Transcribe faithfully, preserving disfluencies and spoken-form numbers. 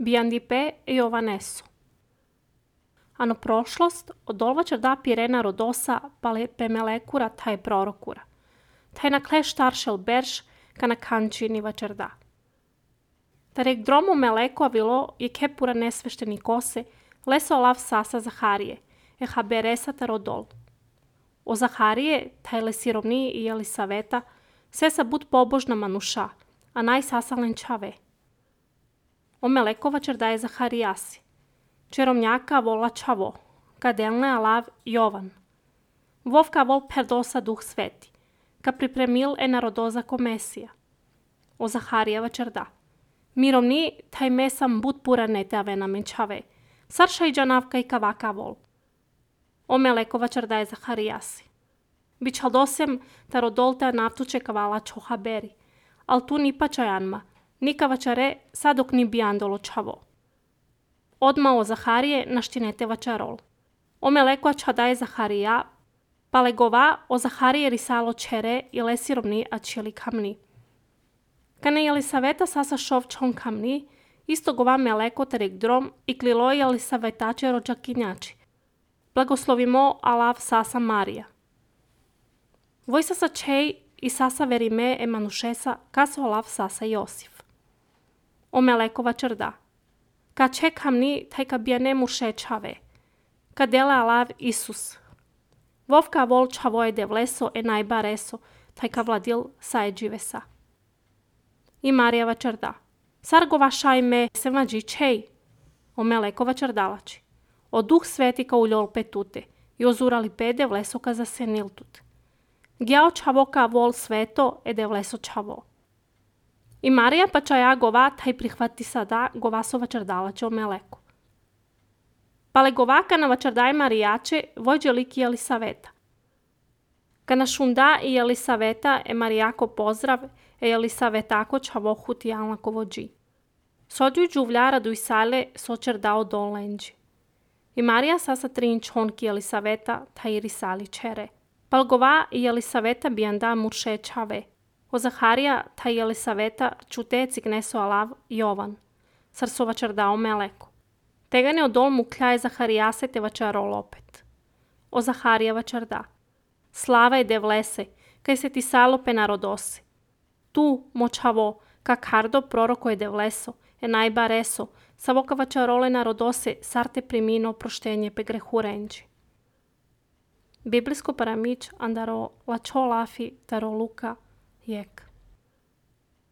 Biandipe e Jovanesu. Ano prošlost odolvačar da pirena rodosa pale pemelekura taj prorokura. Taj na kleš taršel berš kana kančini vačar da. Tarek dromu meleko avilo je kepura nesvešteni kose leso lav sasa Zaharije, e haberesa tarodol. O Zaharije, taj le sirovni i Elisaveta, se sa bud pobožna manuša, a naj sasalen čave. O melekovačar daje Zaharijasi. Čeromnjaka vola čavo, kadelne alav Jovan. Vovka vol perdosa duh sveti, ka pripremil e narodoza ko Mesija. O Zaharijevačar da. Mirovni taj mesam bud pura nete avena menčave, sarša i džanavka i kavaka vol. O melekovačar daje Zaharijasi. Bičaldosem tarodolta naftuče kavala čoha beri, al tu ni pačajanma, nikavačare sadok ni bijandolo čavo. Odma o Zaharije naštinete vačarol. O melekovača daje Zaharija, palegova o Zaharije risalo čere i lesirovni a čili kamni. Kane Elisaveta sasa šov čon kamni, isto gova meleko terek drom i klilo Elisavetače rođakinjači. Blagoslovimo alav sasa Marija. Voj sasa čej i sasa verime e manušesa kaso alav sasa Josif. O melekovačar da. Ka čekamni taj ka bijane muše čave. Ka dele alav Isus. Vovka vol čavoje devleso e najba reso, taj ka vladil saje dživesa. I Marijevačar da. Sargova šajme se mađi čej. O melekovačar dalači. O duh sveti ka uljol petute. I ozurali pe devleso ka zasenil tut. Gjao čavo ka vol sveto e devleso čavo. I Marija pa čaja gova taj prihvati sada govasovačar dalače o meleku. Pale govaka na vačardaj Marijače vojđe liki Elisaveta. Kana šunda i Elisaveta e Marijako pozdrav e Elisavetako čavo huti alnako vođi. Sođuj džuvljara duj sale sočer dao dolenđi. I Marija sasa trin čonki Elisaveta taj risali čere. Pal gova i Elisaveta bijanda murše čave. O Zaharija taj Elisaveta čuteci gneso alav Jovan. Sarsovačar dao meleko. Tegane odol mu kljaje Zaharijase te vačarol opet. O Zaharijevačar da. Slava je devlese, kaj se ti salope narodose. Tu, močavo, ka kardo proroko je devleso, e najba reso, savoka vačarole narodose, sarte primino proštenje pe grehu renđi. Biblijsko paramić andaro lačo lafi taro luka jek.